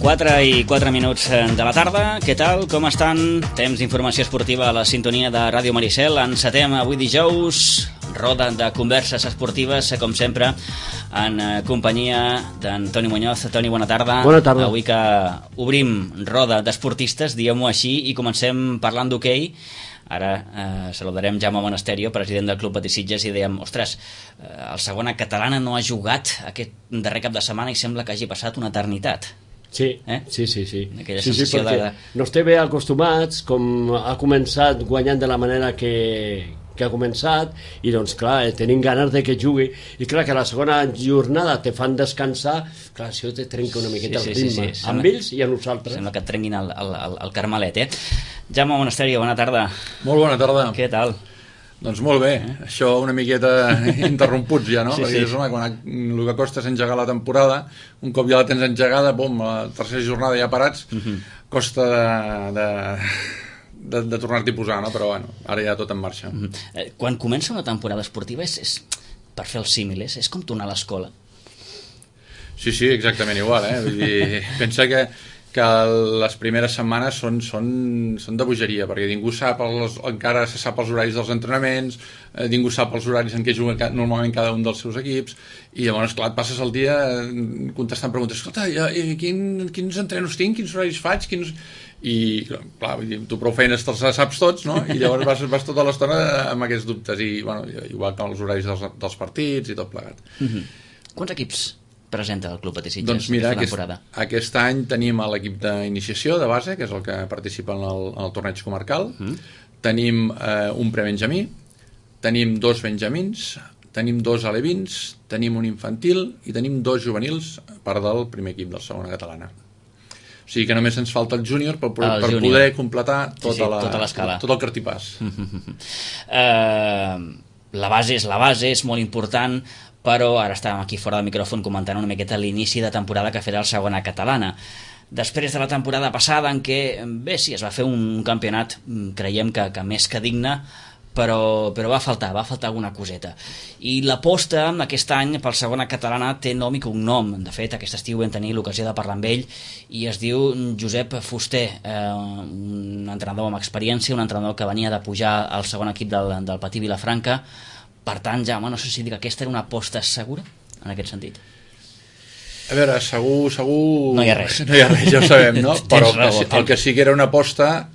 4:04 de la tarda. Què tal? Com estan? Temps d'informació esportiva a la sintonia de Ràdio Maricel. Encetem avui dijous, roda de converses esportives, com sempre, en companyia d'en Toni Muñoz. Toni, bona tarda. Bona tarda. Avui que obrim roda d'esportistes, diguem-ho així, i comencem parlant d'hoquei. Ara saludarem Jaume Monasterio, president del Club Patí Sitges, i dèiem, ostres, el Segona Catalana no ha jugat aquest darrer cap de setmana i sembla que hagi passat una eternitat. Sí, sí. Aquella sensació perquè no estem bé acostumats, com ha començat guanyant de la manera que ha començat, i doncs clar, tenim ganes de que jugui, i clar que a la segona jornada te fan descansar, clar, això te trenca una miqueta el ritme, amb ells i a nosaltres. Sembla que et trenguin el carmelet, Jaume Monasterio, bona tarda. Molt bona tarda. Què tal? Doncs molt bé, això una miqueta interromputs ja, no? Sí, perquè sí. Quan el que costa és engegar la temporada, un cop ja la tens engegada, bum, a la tercera jornada ja parats, costa de tornar-t'hi a posar, no? Però bueno, ara ja tot en marxa. Quan comença una temporada esportiva és per fer el símil, és com tornar a l'escola. Sí, exactament igual, Vull dir, pensa que les primeres setmanes són de bogeria, perquè ningú sap encara se sap els horaris dels entrenaments, ningú sap els horaris en què juga normalment cada un dels seus equips, i llavors, clar, et passes el dia contestant preguntes, escolta, quins entrenos tinc, quins horaris faig, i clar, tu prou feines te'ls saps tots, no? I llavors vas tota l'estona amb aquests dubtes, i bueno, igual que els horaris dels partits i tot plegat. Quants equips presenta el Club Patí Sitges? Doncs mira, aquest any tenim l'equip d'iniciació de base, que és el que participa en el torneig comarcal. Tenim un prebenjamí, tenim 2 benjamins, tenim 2 alevins, tenim un infantil i tenim 2 juvenils, part del primer equip del Segona Catalana. O sigui que només ens falta el júnior per poder completar tota l'escala, tot el cartipàs. La base és molt important, però ara estàvem aquí fora del micròfon comentant una miqueta l'inici de temporada que farà el Segona Catalana. Després de la temporada passada, en què, bé, sí, es va fer un campionat, creiem que més que digne, però va faltar alguna coseta. I l'aposta aquest any pel Segona Catalana té nom i cognom. De fet, aquest estiu vam tenir l'ocasió de parlar amb ell, i es diu Josep Fuster, un entrenador amb experiència, un entrenador que venia de pujar al segon equip del Patí Vilafranca. Per tant, Jaume, no sé si dir que aquesta era una aposta segura, en aquest sentit. A veure, segur... No hi ha res, ja ho sabem, no? Però el que sí que era una aposta,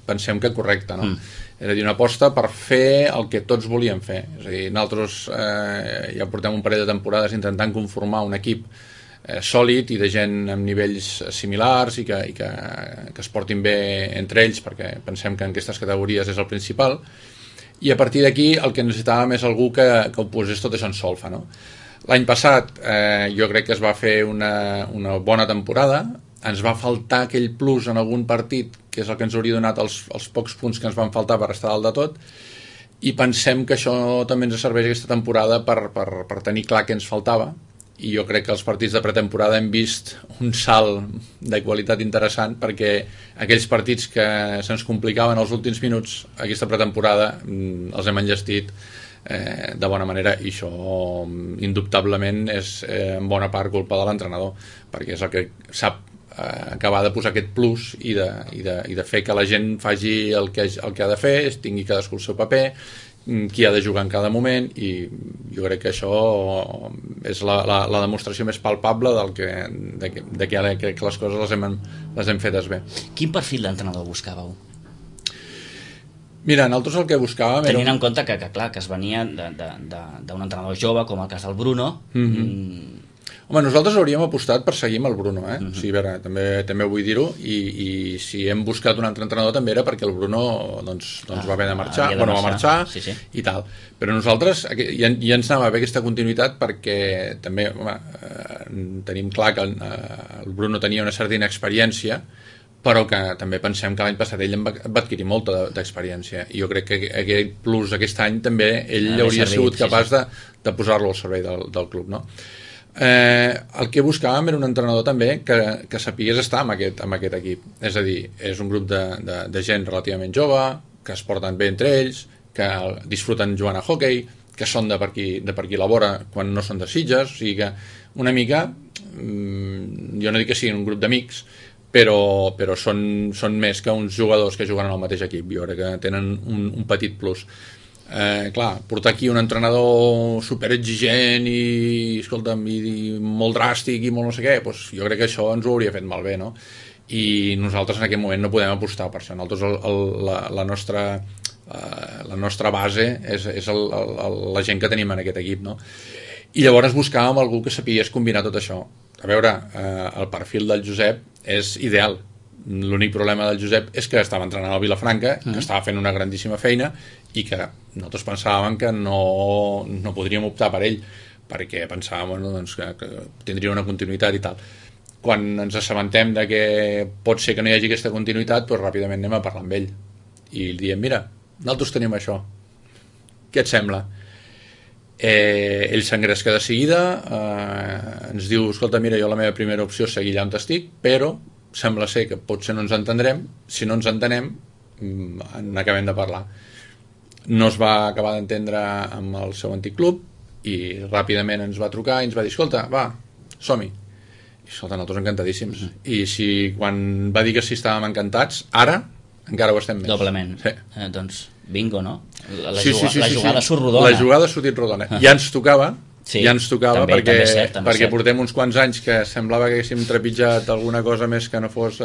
pensem que correcta, no? És a dir, una aposta per fer el que tots volíem fer. És a dir, nosaltres ja portem un parell de temporades intentant conformar un equip sòlid i de gent amb nivells similars i que es portin bé entre ells, perquè pensem que en aquestes categories és el principal. I a partir d'aquí el que necessitàvem és algú que ho posés tot això en solfa, no? L'any passat jo crec que es va fer una bona temporada, ens va faltar aquell plus en algun partit, que és el que ens hauria donat els pocs punts que ens van faltar per estar dalt de tot, i pensem que això també ens serveix aquesta temporada per tenir clar què ens faltava, i jo crec que els partits de pretemporada hem vist un salt de qualitat interessant, perquè aquells partits que se'ns complicaven els últims minuts aquesta pretemporada els hem enllestit de bona manera, i això indubtablement és en bona part culpa de l'entrenador, perquè és el que sap acabar de posar aquest plus i de fer que la gent faci el que ha de fer, tingui cadascú el seu paper, qui ha de jugar en cada moment, i jo crec que això és la demostració més palpable de que les coses les hem fetes bé. Quin perfil d'entrenador buscàveu? Mira, nosaltres el que buscàvem tenint en compte que es venia d'un entrenador jove, com el cas del Bruno. Home, nosaltres hauríem apostat per seguir amb el Bruno, O sigui, a veure, també vull dir-ho, i si hem buscat un altre entrenador també era perquè el Bruno va haver de marxar, va marxar i tal. Però nosaltres ja ens anava bé aquesta continuïtat, perquè també tenim clar que el Bruno tenia una certa inexperiència, però que també pensem que l'any passat ell va adquirir molta d'experiència, i jo crec que aquest plus aquest any també ell hauria sigut capaç de posar-lo al servei del club, no? El que buscàvem era un entrenador també que sapigués estar amb aquest equip, és a dir, és un grup de gent relativament jove, que es porten bé entre ells, que disfruten jugant a hoquei, que són de per aquí la vora quan no són de Sitges, o sigui que una mica jo no dic que siguin un grup d'amics, però són més que uns jugadors que juguen en el mateix equip. Jo crec que tenen un petit plus. Clar, portar aquí un entrenador superexigent i, escolta'm, i molt dràstic i molt no sé què, doncs jo crec que això ens ho hauria fet malbé, no? I nosaltres en aquest moment no podem apostar per això. Nosaltres la nostra base és la gent que tenim en aquest equip, no? I llavors buscàvem algú que sapigués combinar tot això. A veure, el perfil del Josep és ideal. L'únic problema del Josep és que estava entrenant al Vilafranca, que estava fent una grandíssima feina i que nosaltres pensàvem que no podríem optar per ell, perquè pensàvem doncs, que tindria una continuïtat i tal. Quan ens assabentem de que pot ser que no hi hagi aquesta continuïtat, doncs ràpidament anem a parlar amb ell i li diem, mira, nosaltres tenim això, què et sembla? Ell s'engresca de seguida, ens diu, escolta, mira, jo la meva primera opció és seguir allà on estic, però sembla ser que potser no ens entendrem, si no ens entenem n'acabem de parlar. No es va acabar d'entendre amb el seu antic club i ràpidament ens va trucar i ens va dir, escolta, va, som-hi. I escolta, nosaltres encantadíssims. I si quan va dir que sí estàvem encantats, ara encara ho estem més. Doblement. Sí. Doncs bingo, no? La jugada surt rodona. La jugada ha sortit rodona. Ja ens tocava, també, perquè portem uns quants anys que semblava que haguéssim trepitjat alguna cosa més que no fos...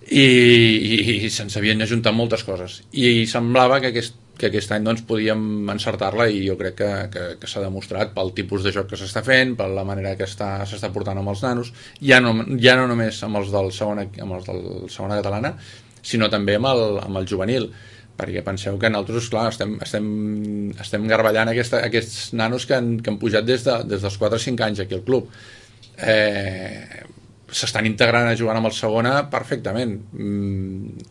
I se'ns havien ajuntat moltes coses. I semblava que aquest any doncs, podíem encertar-la i jo crec que s'ha demostrat pel tipus de joc que s'està fent, per la manera que s'està portant amb els nanos, ja no només amb els del segona catalana, sinó també amb el juvenil, perquè penseu que nosaltres, clar, estem garballant aquests nanos que han pujat des dels 4 o 5 anys aquí al club. S'estan integrant a jugar amb el segona perfectament.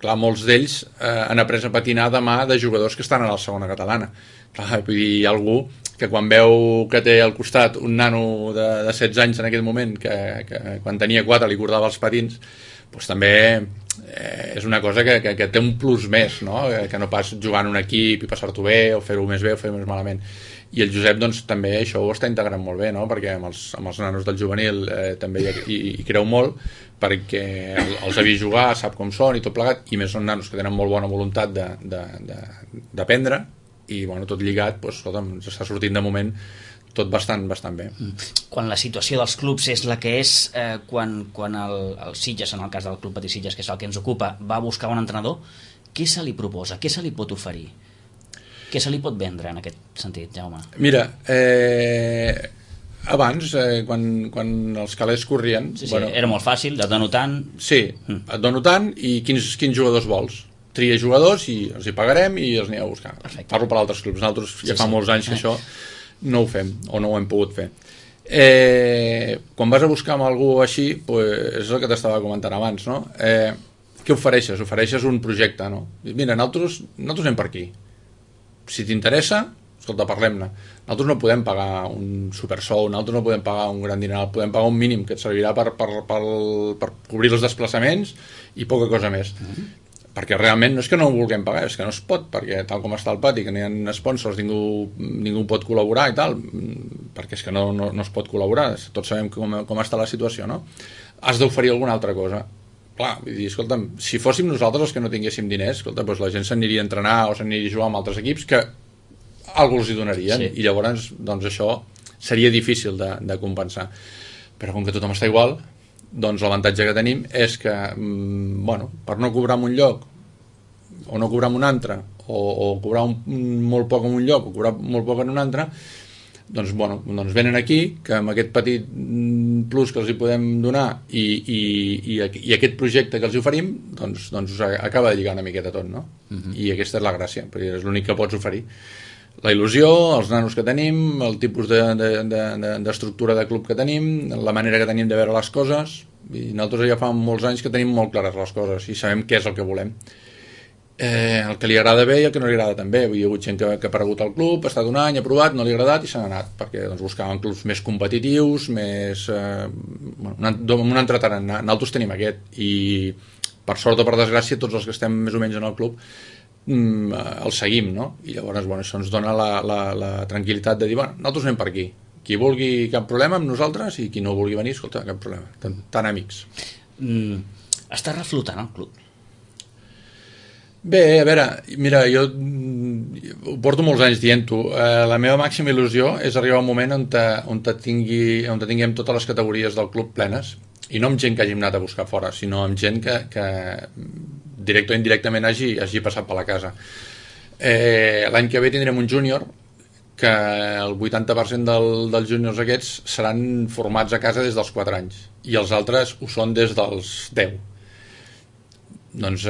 Clar, molts d'ells han après a patinar de mà de jugadors que estan a la segona catalana. Clar, vull dir, hi ha algú que quan veu que té al costat un nano de 16 anys en aquest moment, que quan tenia 4 li cordava els patins, doncs també és una cosa que té un plus més, no? Que no pas jugar en un equip i passar-t'ho bé o fer-ho més bé o fer-ho més malament. I el Josep doncs, també això ho està integrant molt bé, no? Perquè amb els nanos del juvenil també hi creu molt, perquè els ha vist jugar, sap com són i tot plegat, i més són nanos que tenen molt bona voluntat d'aprendre i bueno, tot lligat doncs, ens està sortint de moment tot bastant bé. Quan la situació dels clubs és la que és, quan el Sitges, en el cas del Club Patí Sitges, que és el que ens ocupa, va a buscar un entrenador, què se li proposa? Què se li pot oferir? Què se li pot vendre en aquest sentit, Jaume? Mira, abans, quan els calés corrien... Sí, bueno, era molt fàcil, et dono tant... Sí, et dono tant i quins jugadors vols. Tria jugadors i els hi pagarem i els aneu a buscar. Perfecte. Parlo per altres clubs. Nosaltres ja fa molts anys que això no ho fem o no ho hem pogut fer. Quan vas a buscar amb algú així, pues, és el que t'estava comentant abans, no? Què ofereixes? Ofereixes un projecte, no? Mira, nosaltres anem per aquí. Si t'interessa, escolta, parlem-ne. Nosaltres no podem pagar un supersou, nosaltres no podem pagar un gran dineral, podem pagar un mínim que et servirà per cobrir els desplaçaments i poca cosa més. Perquè realment no és que no ho vulguem pagar, és que no es pot, perquè tal com està el pati, que no hi ha sponsors, ningú pot col·laborar i tal, perquè és que no es pot col·laborar, tots sabem com està la situació, no? Has d'oferir alguna altra cosa. Clar, vull dir, escolta'm, si fóssim nosaltres els que no tinguéssim diners, escolta, doncs la gent s'aniria a entrenar o s'aniria a jugar amb altres equips que algú els hi donarien, i llavors doncs això seria difícil de compensar. Però com que tothom està igual, doncs l'avantatge que tenim és que bueno, per no cobrar en un lloc o no cobrar en un altre o cobrar molt poc en un lloc o cobrar molt poc en un altre, doncs venen aquí, que amb aquest petit plus que els hi podem donar i aquest projecte que els hi oferim, doncs us acaba de lligar una miqueta tot, no? I aquesta és la gràcia, perquè és l'únic que pots oferir. La il·lusió, els nanos que tenim, el tipus d'estructura de club que tenim, la manera que tenim de veure les coses, i nosaltres ja fa molts anys que tenim molt clares les coses i sabem què és el que volem. El que li agrada bé i el que no li agrada també. Hi ha hagut gent que ha aparegut al club, ha estat un any, ha provat, no li ha agradat i s'ha anat, perquè doncs, buscaven clubs més competitius, més un entreteniment. Nosaltres tenim aquest, i per sort o per desgràcia tots els que estem més o menys en el club el seguim, no? I llavors això ens dona la tranquil·litat de dir, nosaltres anem per aquí. qui vulgui, cap problema amb nosaltres, i qui no vulgui venir, escolta, cap problema, tan amics. Està reflotant el club? Bé, a veure, mira, jo ho porto molts anys dient-ho. La meva màxima il·lusió és arribar a un moment on tinguem totes les categories del club plenes, i no amb gent que hàgim anat a buscar fora, sinó amb gent que directe o indirectament hagi passat per la casa. L'any que ve tindrem un júnior, que el 80% dels júniors aquests seran formats a casa des dels 4 anys, i els altres ho són des dels 10. Doncs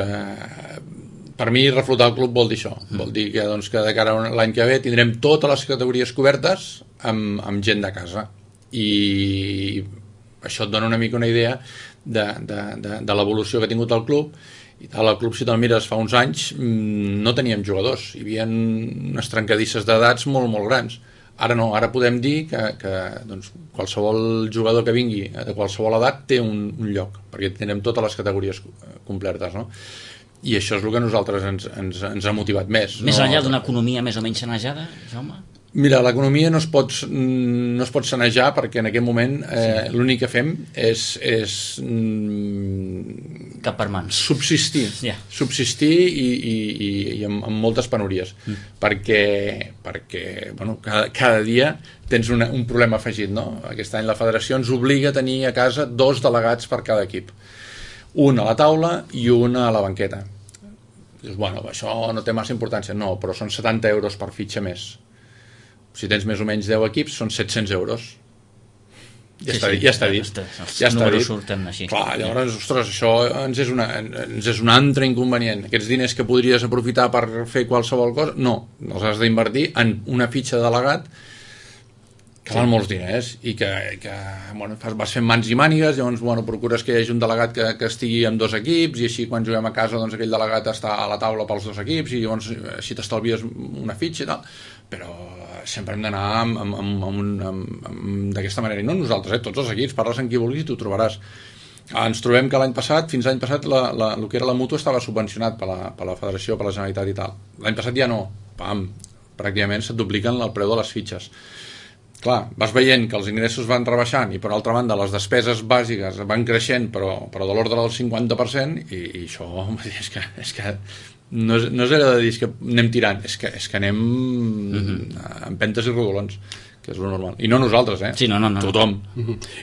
per mi reflotar el club vol dir això, vol dir que, doncs, que de cara a l'any que ve tindrem totes les categories cobertes amb gent de casa, i això et dona una mica una idea de l'evolució que ha tingut el club. I tal, el club, si te'l mires, fa uns anys no teníem jugadors, hi havia unes trencadisses d'edats molt, molt grans. Ara no, ara podem dir que doncs, qualsevol jugador que vingui de qualsevol edat té un lloc, perquè tindrem totes les categories completes, no? I això és el que a nosaltres ens ha motivat més. Més enllà d'una economia més o menys sanejada, Jaume? Mira, l'economia no es pot sanejar, perquè en aquest moment l'únic que fem és cap per mans. Subsistir i amb moltes penúries, perquè bueno, cada dia tens un problema afegit, no? Aquest any la federació ens obliga a tenir a casa 2 delegats per cada equip, un a la taula i un a la banqueta. Dius, bueno, això no té massa importància. No, però són 70 euros per fitxa més. Si tens més o menys 10 equips, són 700 euros. Ja està dit. Els números surten així. Clar, llavors, ostres, això ens és un altre inconvenient. Aquests diners que podries aprofitar per fer qualsevol cosa, no, els has d'invertir en una fitxa de delegat que val molts diners, i que bueno, vas fent mans i mànigues. Llavors, bueno, procures que hi hagi un delegat que estigui amb 2 equips, i així quan juguem a casa, doncs aquell delegat està a la taula pels 2 equips, i llavors així t'estalvies una fitxa i tal. Però sempre hem d'anar d'aquesta manera, i no nosaltres, tots els equips, parles amb qui vulguis i t'ho trobaràs. Ens trobem que fins l'any passat el que era la mútua estava subvencionat per la federació, per la Generalitat i tal. L'any passat ja no, pràcticament se't dupliquen el preu de les fitxes. Clar, vas veient que els ingressos van rebaixant, i per altra banda les despeses bàsiques van creixent, però de l'ordre del 50%, i això és que no és allò de dir que anem tirant, és que anem amb pentes i rodolons, que és lo normal. I no nosaltres, Sí, no. Tothom.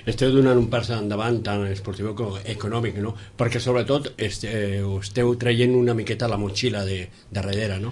Esteu donant un pas endavant tant esportiu com econòmic, no? Perquè sobretot esteu traient una miqueta la motxilla de darrere, no?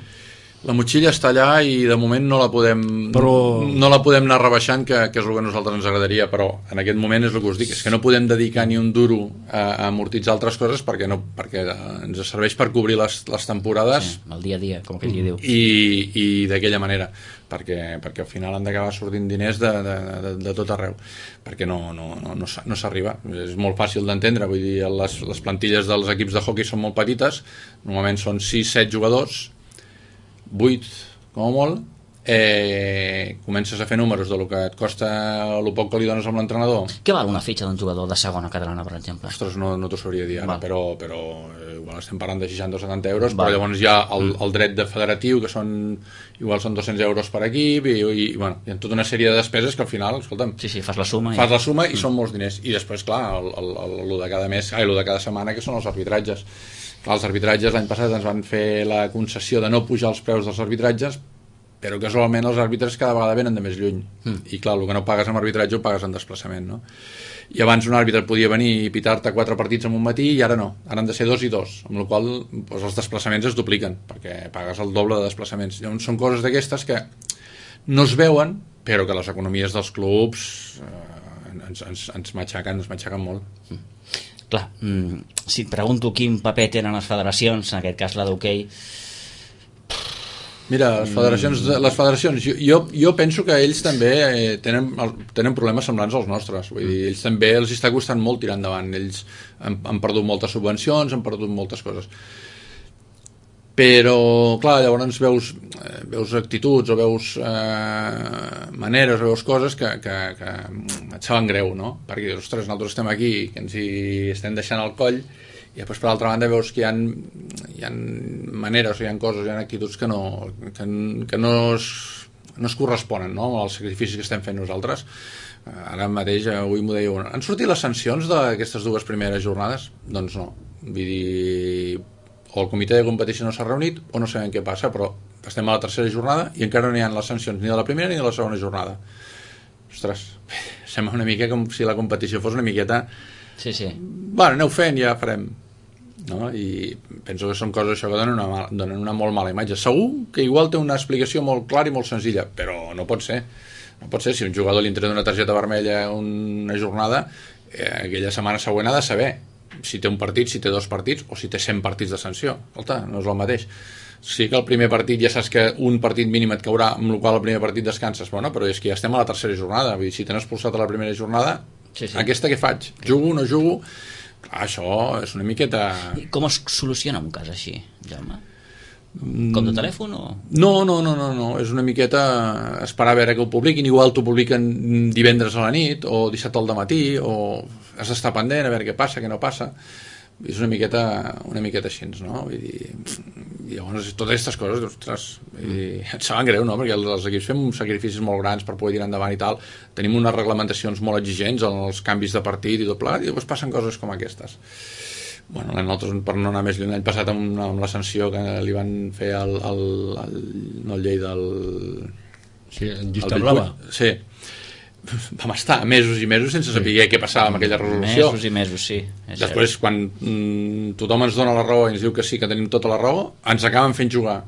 La motxilla està allà, i de moment no la podem anar rebaixant, que és el que a nosaltres ens agradaria, però en aquest moment és el que us dic, és que no podem dedicar ni un duro a amortitzar altres coses, perquè ens serveix per cobrir les temporades, el dia a dia, com que ell diu, i d'aquella manera, perquè al final han d'acabar sortint diners de tot arreu, perquè no s'arriba. És molt fàcil d'entendre, vull dir, les plantilles dels equips de hoquei són molt petites, normalment són 6-7 jugadors, 8 com a molt, comences a fer números de lo que et costa el poc que li dones amb l'entrenador. Què val una fitxa d'un jugador de segona catalana, per exemple? Ostres, no t'ho sabria dir ara, però igual estem parlant de 60 o 70 euros, però llavors hi ha el dret de federatiu, que igual són 200 euros per equip, i bueno, hi ha tota una sèrie de despeses que al final, escolta'm, fas la suma i són molts diners. I després, clar, el de cada mes, el de cada setmana, que són els arbitratges. Clar, els arbitratges l'any passat ens van fer la concessió de no pujar els preus dels arbitratges, però casualment els àrbitres cada vegada venen de més lluny, i clar, el que no pagues en arbitratge ho pagues en desplaçament, no? I abans un àrbitre podia venir i pitar-te 4 partits en un matí, i ara no, ara han de ser 2 i 2, amb la qual cosa els desplaçaments es dupliquen, perquè pagues el doble de desplaçaments. Llavors són coses d'aquestes que no es veuen, però que les economies dels clubs ens matxaquen molt. Clar, si et pregunto quin paper tenen les federacions, en aquest cas la d'hoquei. Mira, les federacions, jo penso que ells també tenen problemes semblants als nostres. Vull dir, ells també els està costant molt tirar endavant. Ells han perdut moltes subvencions, han perdut moltes coses. Però, clar, llavors veus actituds, o veus maneres, o veus coses que et saben greu, no? Perquè, ostres, nosaltres estem aquí, que ens hi estem deixant el coll, i després per l'altra banda veus que hi ha maneres, o hi ha coses, hi ha actituds que no no es corresponen, no?, amb els sacrificis que estem fent nosaltres. Ara mateix, avui m'ho deia, han sortit les sancions d'aquestes 2 primeres jornades? Doncs no. Vull dir, o el comitè de competició no s'ha reunit o no sabem què passa, però estem a la 3a jornada i encara no hi ha les sancions ni de la primera ni de la segona jornada. Ostres, sembla una mica com si la competició fos una miqueta... Sí. Bueno, aneu fent, ja farem. No? I penso que són coses això que donen una molt mala imatge. Segur que igual té una explicació molt clara i molt senzilla, però no pot ser. No pot ser, si un jugador li entrega una targeta vermella una jornada, aquella setmana següent ha de saber si té un partit, si té 2 partits o si té 100 partits de sanció. Escolta, no és el mateix. Sí que el primer partit ja saps que un partit mínim et caurà, amb el qual el primer partit descanses, bueno, però és que ja estem a la 3a jornada. Vull dir, si t'han expulsat a la primera jornada, sí. Aquesta què faig? Jugo, no jugo? Clar, això és una miqueta... I com es soluciona un cas així, Jaume? Com de telèfon o...? No, és una miqueta esperar a veure que ho publiquin, igual t'ho publiquen divendres a la nit o dissabte al dematí, o has d'estar pendent a veure què passa, què no passa. És una miqueta així, no? Vull dir, i llavors totes aquestes coses, ostres, et saben greu, no? Perquè els equips fem sacrificis molt grans per poder tirar endavant i tal, tenim unes reglamentacions molt exigents en els canvis de partit i tot plegat, i llavors passen coses com aquestes. Bueno, nosaltres, per no anar més lluny, l'any passat amb la sanció que li van fer no el Lleida, sí, el Llista Blava. Sí, vam estar mesos i mesos sense saber què passava amb aquella resolució. Mesos i mesos, sí. Després, quan tothom ens dona la raó i ens diu que sí, que tenim tota la raó, ens acaben fent jugar.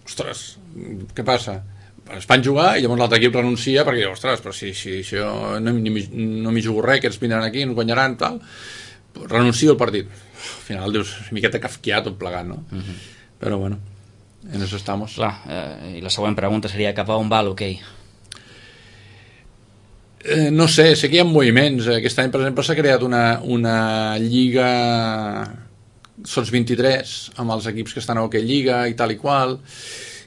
Ostres, què passa? Es fan jugar i llavors l'altre equip renuncia perquè diu, ostres, però si jo no m'hi jugo res, que ens vindran aquí, ens guanyaran, tal, renuncio al partit. Al final dius, una miqueta kafkià tot plegat, no? Però bueno, en eso estamos. Clar, i la següent pregunta seria cap a on va l'hoquei? No sé que hi ha moviments. Aquest any, per exemple, s'ha creat una lliga sots 23 amb els equips que estan a hoquei lliga i tal i qual,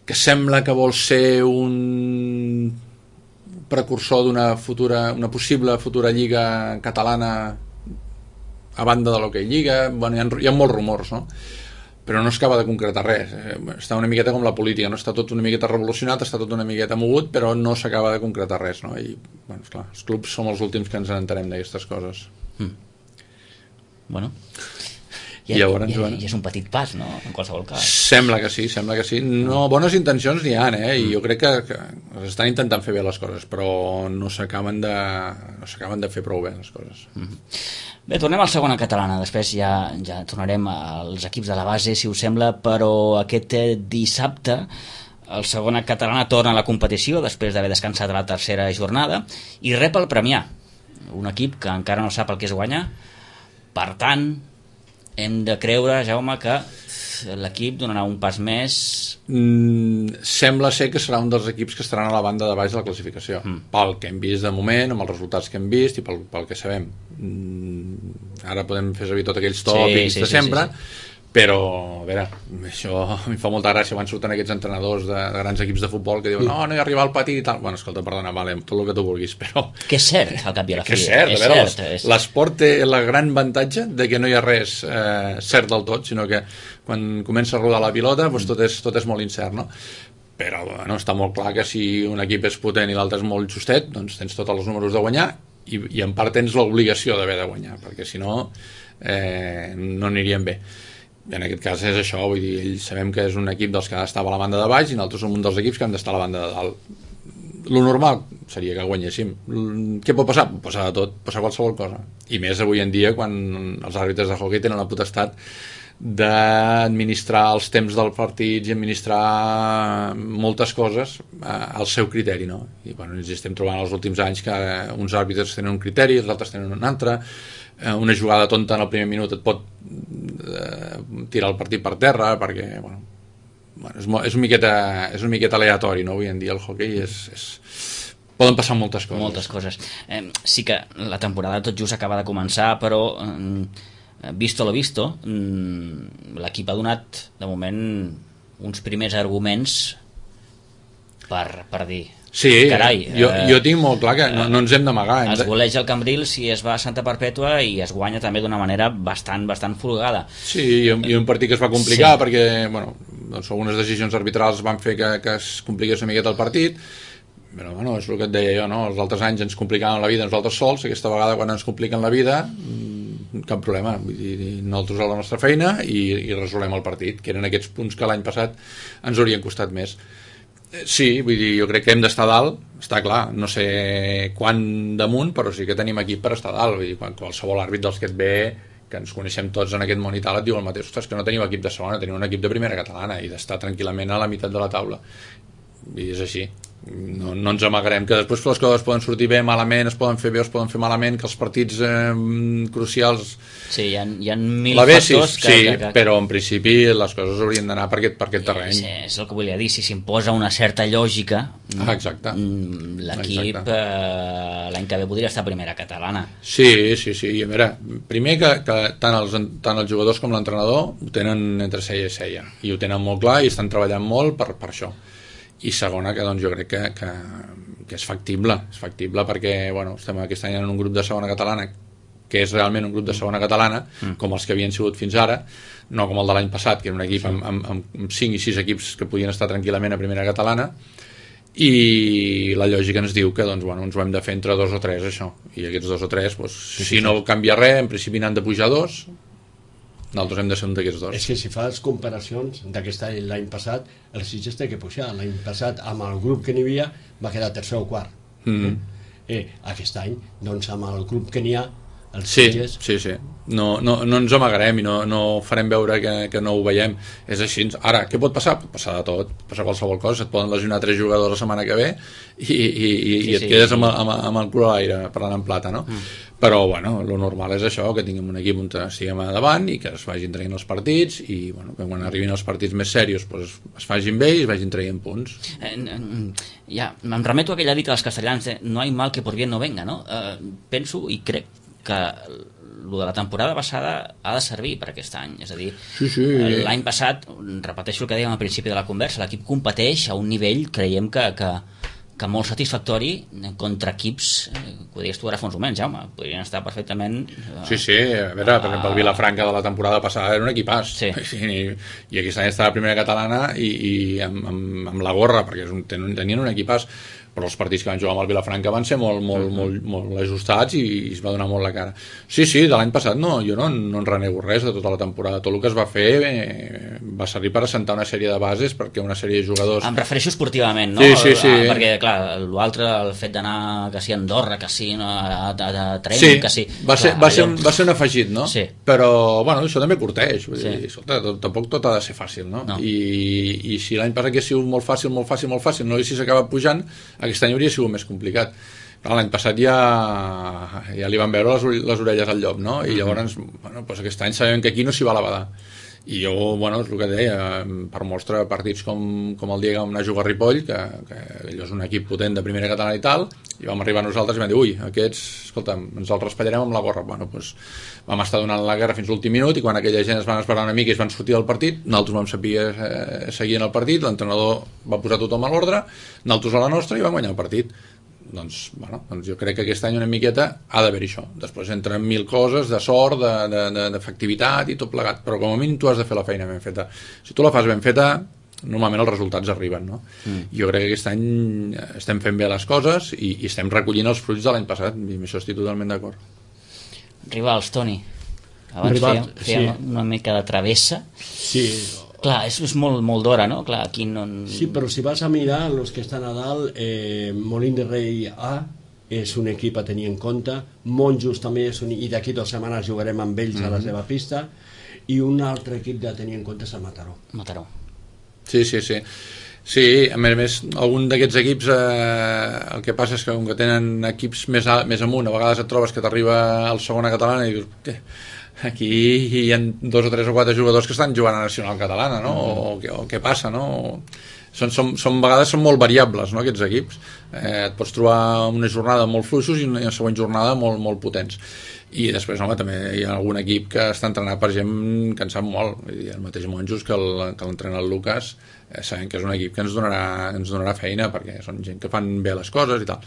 que sembla que vol ser un precursor una possible futura lliga catalana a banda de l'hoquei lliga. Bueno, hi ha molts rumors, no? Però no s'acaba de concretar res. Està una miqueta com la política, no? Està tot una miqueta revolucionat, està tot una miqueta mogut, però no s'acaba de concretar res, no? I, bueno, esclar, els clubs som els últims que ens entenem d'aquestes coses. Bueno, i és un petit pas, no? En qualsevol cas. Sembla que sí. No, bones intencions n'hi ha, i jo crec que estan intentant fer bé les coses, però no s'acaben de fer prou bé les coses. Bé, tornem al segona catalana, després ja tornarem als equips de la base, si us sembla, però aquest dissabte el segona catalana torna a la competició després d'haver descansat a la 3a jornada i rep el Premià, un equip que encara no sap el que és guanyar. Per tant, hem de creure, Jaume, que l'equip donarà un pas més. Sembla ser que serà un dels equips que estaran a la banda de baix de la classificació, pel que hem vist de moment, amb els resultats que hem vist i pel que sabem. Ara podem fer servir tots aquells tòpics de sempre, però a veure, això a mi fa molta gràcia quan surten aquests entrenadors de grans equips de futbol que diuen no hi arriba al pati i tal. Bueno, escolta, perdona, vale, tot el que tu vulguis, però... Que és cert, al cap i a la fi. Que és cert, a veure, l'esport té el gran avantatge de que no hi ha res cert del tot, sinó que quan comença a rodar la pilota doncs tot és molt incert, no? Però bueno, està molt clar que si un equip és potent i l'altre és molt justet, doncs tens tots els números de guanyar i en part tens l'obligació d'haver de guanyar, perquè si no no anirien bé. I en aquest cas és això, vull dir, ells sabem que és un equip dels que estava a la banda de baix i nosaltres som un dels equips que hem d'estar a la banda de dalt. Lo normal seria que guanyéssim. Què pot passar? Pot passar de tot, pot passar qualsevol cosa. I més avui en dia quan els àrbitres de hoquei tenen la potestat d'administrar els temps del partit i administrar moltes coses al seu criteri, no? I bueno, ens estem trobant els últims anys que uns àrbitres tenen un criteri, els altres tenen un altre. Una jugada tonta en el primer minut et pot tirar el partit per terra perquè bueno, és una miqueta aleatori, no? Avui en dia el hoquei poden passar moltes coses. Sí que la temporada tot just acaba de començar, però visto lo visto, l'equip ha donat de moment uns primers arguments per dir sí, carai, jo tinc molt clar que no ens hem d'amagar. Es goleja el Cambrils i es va a Santa Perpètua i es guanya també d'una manera bastant folgada. Sí, i un partit que es va complicar perquè bueno, doncs algunes decisions arbitrals van fer que es compliqués una miqueta el partit, però bueno, és el que et deia jo, no? Els altres anys ens complicaven la vida nosaltres sols, aquesta vegada quan ens compliquen la vida cap problema, vull dir, nosaltres a la nostra feina i resolem el partit, que eren aquests punts que l'any passat ens haurien costat més. Sí, vull dir, jo crec que hem d'estar dalt, està clar, no sé quan damunt, però sí que tenim equip per estar dalt, vull dir, quan qualsevol àrbit dels que et ve, que ens coneixem tots en aquest món i tal, et diu el mateix, ostres, que no tenim equip de segona, tenim un equip de primera catalana i d'estar tranquil·lament a la meitat de la taula, i és així. No ens amagarem, que després les coses poden sortir bé, malament, es poden fer bé o es poden fer malament, que els partits crucials sí, hi ha mil factors sí, però en principi les coses haurien d'anar per aquest terreny. Sí, és el que volia dir, si s'imposa una certa lògica exacte. L'equip l'any que ve podria estar a primera catalana. Sí, i a veure, primer que tant els jugadors com l'entrenador ho tenen entre ceia i ceia i ho tenen molt clar i estan treballant molt per això. I segona, que doncs jo crec que és factible perquè bueno, estem aquest any en un grup de segona catalana que és realment un grup de segona catalana com els que havien sigut fins ara, no com el de l'any passat, que era un equip amb 5 i 6 equips que podien estar tranquil·lament a primera catalana, i la lògica ens diu que doncs, bueno, ens ho hem de fer entre 2 o 3 això, i aquests 2 o 3 doncs, si no canvia res, en principi n'han de pujar 2, nosaltres hem de ser un d'aquests 2. És que si fas comparacions d'aquest any l'any passat, el Sitges té que pujar. L'any passat, amb el grup que n'hi havia, va quedar tercer o quart. Aquest any, doncs, amb el grup que n'hi ha, el Sitges... Sí. No ens amagarem i no farem veure que no ho veiem. És així. Ara, què pot passar? Pot passar de tot, pot passar qualsevol cosa. Et poden lesionar 3 jugadors la setmana que ve i et quedes amb el cul a l'aire, parlant en plata, no? Però, bueno, lo normal és això, que tinguem un equip on estiguem a davant i que es vagin traient els partits i, bueno, que quan arribin els partits més serios doncs, es facin bé i es vagin traient punts. Ja, em remeto a aquella dita dels castellans de no hay mal que por bien no venga, no? Penso i crec que el de la temporada passada ha de servir per aquest any, és a dir, l'any passat, repeteixo el que dèiem al principi de la conversa, l'equip competeix a un nivell, creiem que molt satisfactori contra equips que ho deies tu ara fa uns moments, Jaume, podrien estar perfectament Sí, a veure, per exemple el Vilafranca de la temporada passada era un equipàs i aquest any està a la primera catalana i amb la gorra perquè tenien un equipàs, però els partits que van jugar amb el Vilafranca van ser molt ajustats i es va donar molt la cara. Sí, de l'any passat jo no en renego res de tota la temporada. Tot el que es va fer va servir per assentar una sèrie de bases perquè una sèrie de jugadors... Em refereixo esportivament, no? Sí. Perquè, clar, l'altre, el fet d'anar que sí a Andorra, que sí a Trem, que sí... Va ser un afegit, no? Sí. Però, bueno, això també curteix. Vull dir, escolta, tampoc tot ha de ser fàcil, no? I si l'any passat hagués sigut molt fàcil, no haguessis acabat pujant, aquest any hauria sigut més complicat. Però l'any passat ja li van veure les orelles al llop, no? I llavors, bueno, doncs aquest any sabem que aquí no s'hi va a la badar. I jo, bueno, és el que deia, per mostra partits com el dia que vam anar a jugar a Ripoll, que allò és un equip potent de primera catalana i tal, i vam arribar nosaltres i vam dir, ui, aquests, escolta'm, ens els raspallarem amb la gorra. Bueno, doncs vam estar donant la guerra fins l'últim minut i quan aquella gent es van esperar una mica i es van sortir del partit, nosaltres vam saber seguir en el partit, l'entrenador va posar tothom a l'ordre, nosaltres a la nostra i vam guanyar el partit. Doncs jo crec que aquest any una miqueta ha d'haver-hi això. Després entren 1000 coses de sort, d'efectivitat i tot plegat, però com a mínim tu has de fer la feina ben feta. Si tu la fas ben feta, normalment els resultats arriben, no? Jo crec que aquest any estem fent bé les coses i estem recollint els fruits de l'any passat i amb això estic totalment d'acord. Rivals, Toni, abans fèiem una mica de travessa. Sí. Clar, és molt d'hora, no? Clar, aquí no... Sí, però si vas a mirar els que estan a dalt, Molín de Rei A és un equip a tenir en compte, Monjos també és i d'aquí 2 setmanes jugarem amb ells a la seva pista, i un altre equip de tenir en compte és el Mataró. Sí, a més algun d'aquests equips el que passa és que com que tenen equips més amunt, a vegades et trobes que t'arriba al segona catalana i dius aquí hi ha 2 o 3 o 4 jugadors que estan jugant a Nacional Catalana, no? O què passa, no? A vegades són molt variables, no, aquests equips. Et pots trobar una jornada molt fluixos i una següent jornada molt potents. I després, home, també hi ha algun equip que està entrenat per gent que en sap molt. Vull dir, el mateix Monjos que l'entrena el Lucas, sabem que és un equip que ens donarà feina perquè són gent que fan bé les coses i tal.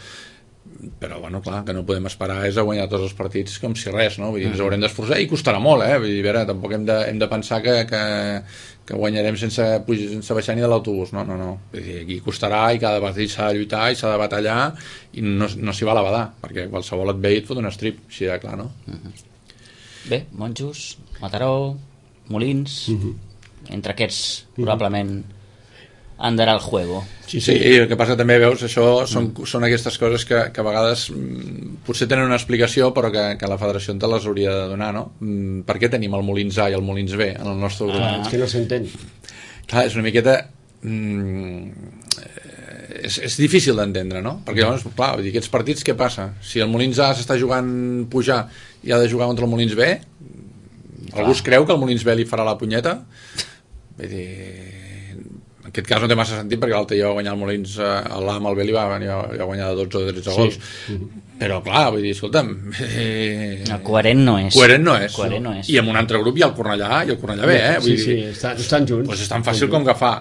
però bueno, clar, que no podem esperar és a guanyar tots els partits com si res, no? Vull dir, ens haurem d'esforçar i costarà molt, vull dir, a veure, tampoc hem de pensar que guanyarem sense baixar ni de l'autobús, no. Vull dir, aquí costarà i cada partit s'ha de lluitar i s'ha de batallar i no s'hi val a badar, perquè qualsevol et ve i et fot un strip, així de clar, no? Bé, Monjos, Mataró, Molins, entre aquests probablement andarà el juego. Sí, el que passa també, veus, això són aquestes coses que a vegades potser tenen una explicació però que la federació te les hauria de donar, no? Per què tenim el Molins A i el Molins B en el nostre grup? És que no s'entén. Clar, és una miqueta... és difícil d'entendre, no? Perquè llavors, clar, vull dir, aquests partits què passa? Si el Molins A s'està jugant pujar i ha de jugar contra el Molins B, algú es creu que el Molins B li farà la punyeta? Vull dir... En aquest cas no té massa sentit perquè l'altre dia va guanyar el Molins l'A amb el B li va guanyar de 12 o 13 gols. Però clar, vull dir, escolta'm... Coherent no és. Coherent no és. I amb un altre grup hi ha el Cornellà i el Cornellà B, Vull dir, estan junts. Doncs és tan fàcil com agafar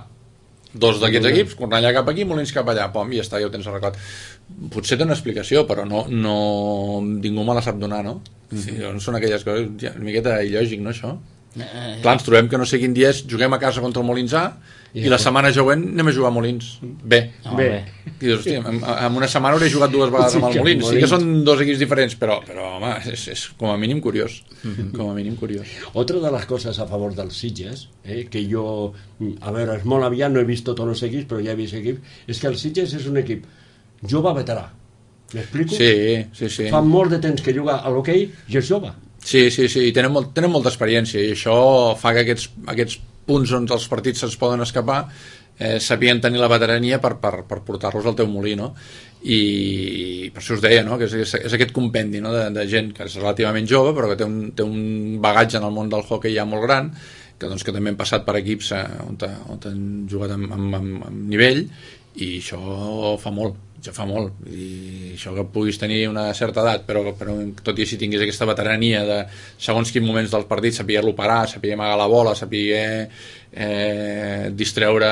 dos d'aquests equips, Cornellà cap aquí, Molins cap allà, pom, i ja està, ja ho tens arreglat. Potser té una explicació, però no ningú me la sap donar, no? Són aquelles coses, una miqueta il·lògic, no, això? Clar, ens trobem que no sé quin dia juguem a casa contra el Molins A i la setmana següent anem a jugar a Molins B. I dius, hòstia, en una setmana hauré jugat 2 vegades amb el Molins. Sí que són 2 equips diferents, però home, és com a mínim curiós. Com a mínim curiós. Otra de las cosas a favor dels Sitges, que jo, a veure, és molt aviat, no he vist tots els equips, però ja he vist equips, és que el Sitges és un equip jove veterà. M'explico? Sí. Fa molt de temps que juga a l'hoquei i és jove. Sí, i tenen molta experiència i això fa que aquests punts on els partits se'ns poden escapar sapien tenir la veterania per portar-los al teu molí, no? I per això us deia, no? Que és aquest compendi, no? de gent que és relativament jove però que té un bagatge en el món del hoquei ja molt gran, que també han passat per equips on han jugat amb nivell, i això fa molt. I això que puguis tenir una certa edat però tot i així tinguis aquesta veterania de segons quins moments dels partits saber-lo parar, saber amagar la bola, saber distreure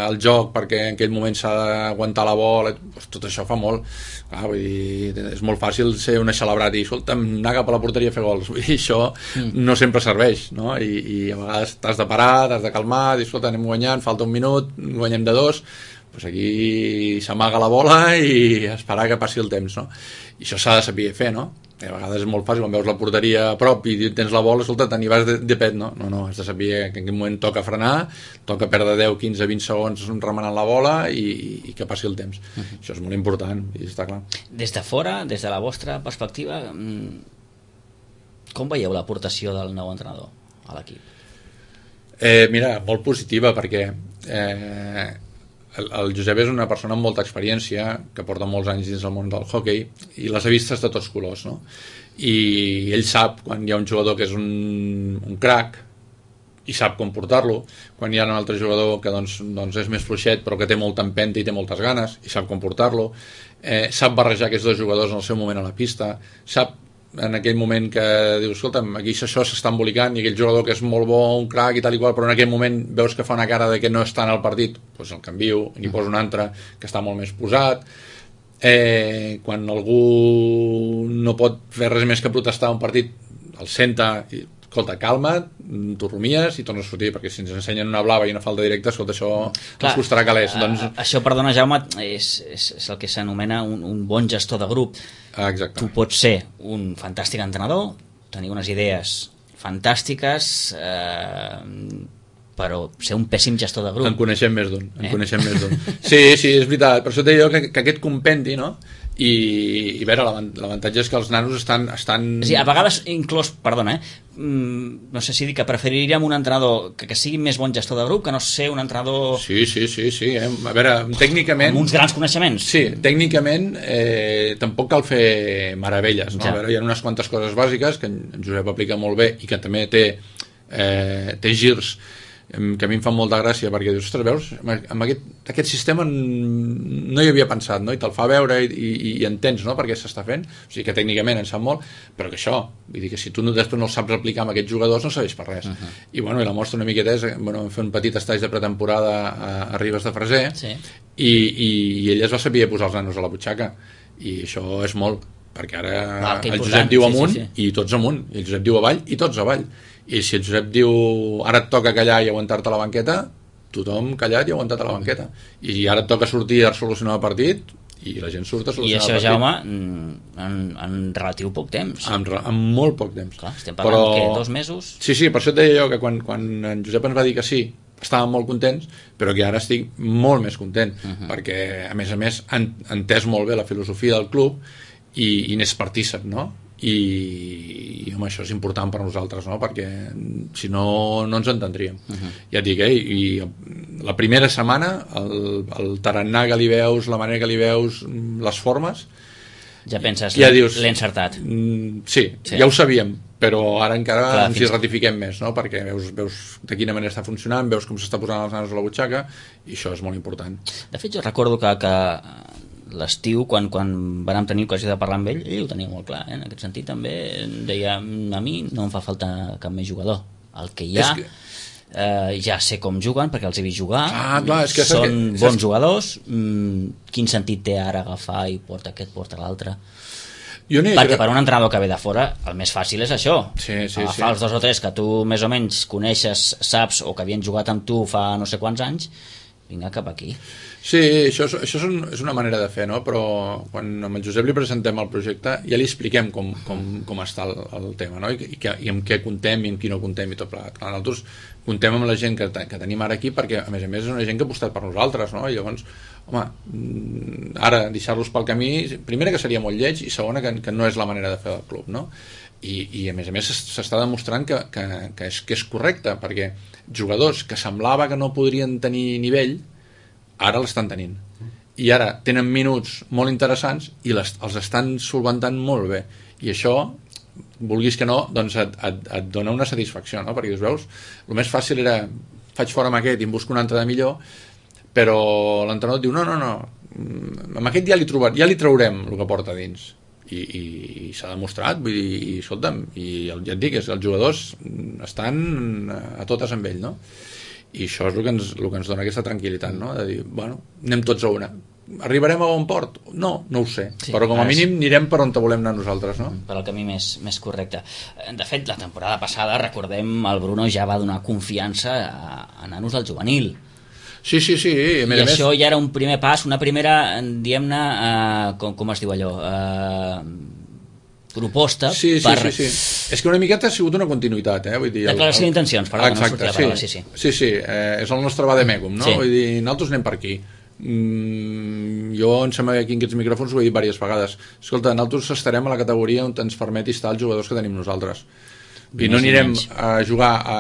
el joc perquè en aquell moment s'ha d'aguantar la bola, tot això fa molt. Vull dir, és molt fàcil ser un celebrat i escolta'm, anar cap a la porteria a fer gols. Vull dir, això no sempre serveix, no? I a vegades t'has de parar, t'has de calmar, dir, escolta, anem guanyant, falta un minut, guanyem de 2, doncs aquí s'amaga la bola i esperar que passi el temps, no? I això s'ha de saber fer, no? I a vegades és molt fàcil, quan veus la porteria a prop i tens la bola, escolta, t'hi vas de pet, no? No, has de saber que en aquell moment toca frenar, toca perdre 10, 15, 20 segons remenant la bola i que passi el temps. Això és molt important, i està clar. Des de fora, des de la vostra perspectiva, com veieu l'aportació del nou entrenador a l'equip? Mira, molt positiva, perquè el Josep és una persona amb molta experiència que porta molts anys dins del món del hoquei i les ha vistes de tots colors, no? I ell sap quan hi ha un jugador que és un crack i sap com portar-lo, quan hi ha un altre jugador que doncs és més fluixet però que té molta empenta i té moltes ganes i sap com portar-lo, sap barrejar aquests 2 jugadors en el seu moment a la pista, sap en aquell moment que dius, escolta'm, aquí això s'està embolicat i aquell jugador que és molt bo, un crack i tal i qual, però en aquell moment veus que fa una cara de que no està en el partit, doncs el canvio i n'hi poso un altre que està molt més posat. Quan algú no pot fer res més que protestar un partit, el senta i escolta, calma't, tu rumies i tornes a sortir, perquè si ens ensenyen una blava i una falta directa, escolta, això ens costarà calés. Això, perdona, Jaume, és el que s'anomena un bon gestor de grup. Exacte. Tu pots ser un fantàstic entrenador, tenir unes idees fantàstiques, però ser un pèssim gestor de grup. En coneixem més d'un. Sí, és veritat. Per això et deia que aquest compendi, no? I a veure, l'avantatge és que els nanos estan... Sí, a vegades inclús, perdona, no sé si dic que preferiríem un entrenador que sigui més bon gestor de grup que no ser un entrenador... Sí. A veure, tècnicament... Amb uns grans coneixements. Sí, tècnicament tampoc cal fer meravelles, no? Ja. A veure, hi ha unes quantes coses bàsiques que en Josep aplica molt bé i que també té girs que a mi em fa molta gràcia perquè dius, ostres, veus, amb aquest sistema no hi havia pensat, no? I te'l fa veure i entens, no?, per què s'està fent, o sigui que tècnicament en sap molt, però que això, vull dir que si tu després no el saps aplicar amb aquests jugadors no serveix per res. I bueno, i la mostra una miqueta és, bueno, vam fer un petit estatge de pretemporada a Ribes de Freser, sí. I ell es va saber posar els nanos a la butxaca i això és molt, perquè ara que el important. Josep diu amunt sí. i tots amunt, i el Josep diu avall i tots avall, i si el Josep diu ara et toca callar i aguantar-te a la banqueta, tothom callat i aguantat a la banqueta, i ara et toca sortir a solucionar el partit i la gent surt a solucionar el partit. I això, Jaume, en relatiu poc temps. En molt poc temps. Clar, estem parlant que 2 mesos... Sí, per això et deia jo que quan en Josep ens va dir que sí, estàvem molt contents, però que ara estic molt més content, perquè a més han entès molt bé la filosofia del club i n'és partícip, no? I home, això és important per nosaltres, no? Perquè si no ens entendríem. Ja et dic, i la primera setmana el tarannà que li veus, la manera que li veus, les formes, ja penses, ja dius, l'he encertat. Sí, ja ho sabíem, però ara encara clar, ens hi ratifiquem més, no? Perquè veus de quina manera està funcionant, veus com s'està posant les nanos a la butxaca, i això és molt important. De fet, jo recordo que l'estiu, quan vam tenir ocasió de parlar amb ell ho tenia molt clar, en aquest sentit també deia, a mi no em fa falta cap més jugador, el que hi ha ja sé com juguen perquè els he vist jugar, clar, són bons jugadors, quin sentit té ara agafar i porta aquest, porta l'altre, perquè per un entrenador que ve de fora el més fàcil és això, agafar els 2 o 3 que tu més o menys coneixes, saps, o que havien jugat amb tu fa no sé quants anys, vinga cap aquí. Sí, això és una manera de fer, no? Però quan amb el Josep li presentem el projecte ja li expliquem com està el tema, no? I amb què contem i amb qui no contem i tot plegat. Clar, nosaltres contem amb la gent que tenim ara aquí perquè a més és una gent que ha apostat per nosaltres, no? I llavors, home, ara deixar-los pel camí, primera que seria molt lleig i segona que no és la manera de fer del club, no? I a més s'està demostrant que és correcte, perquè jugadors que semblava que no podrien tenir nivell ara l'estan tenint, i ara tenen minuts molt interessants i els estan solventant molt bé, i això, vulguis que no, doncs et dona una satisfacció, no? Perquè veus, el més fàcil era faig fora amb aquest i em busco un altre de millor, però l'entrenador et diu no, amb aquest ja li traurem el que porta dins, i s'ha demostrat, vull dir, escolta'm, i ja et dic, els jugadors estan a totes amb ell, no? I això és el que ens dona aquesta tranquil·litat, no? De dir, bueno, anem tots a una. Arribarem a bon port? No ho sé, però com a mínim anirem per on volem anar nosaltres, no? Per al camí més correcte. De fet, la temporada passada, recordem, el Bruno ja va donar confiança a nanos del juvenil. Sí, I això ja era un primer pas, una primera, diguem-ne, com es diu allò, proposta sí. És que una miqueta ha sigut una continuïtat, vull dir, declaració d'intencions, perdó, exacte, no sortia la paraula, sí, és el nostre vademecum, no? Vull dir, nosaltres anem per aquí. Jo em sembla que aquí en aquests micròfons ho he dit diverses vegades, escolta, nosaltres estarem a la categoria on ens permeti estar els jugadors que tenim nosaltres, i no anirem a jugar a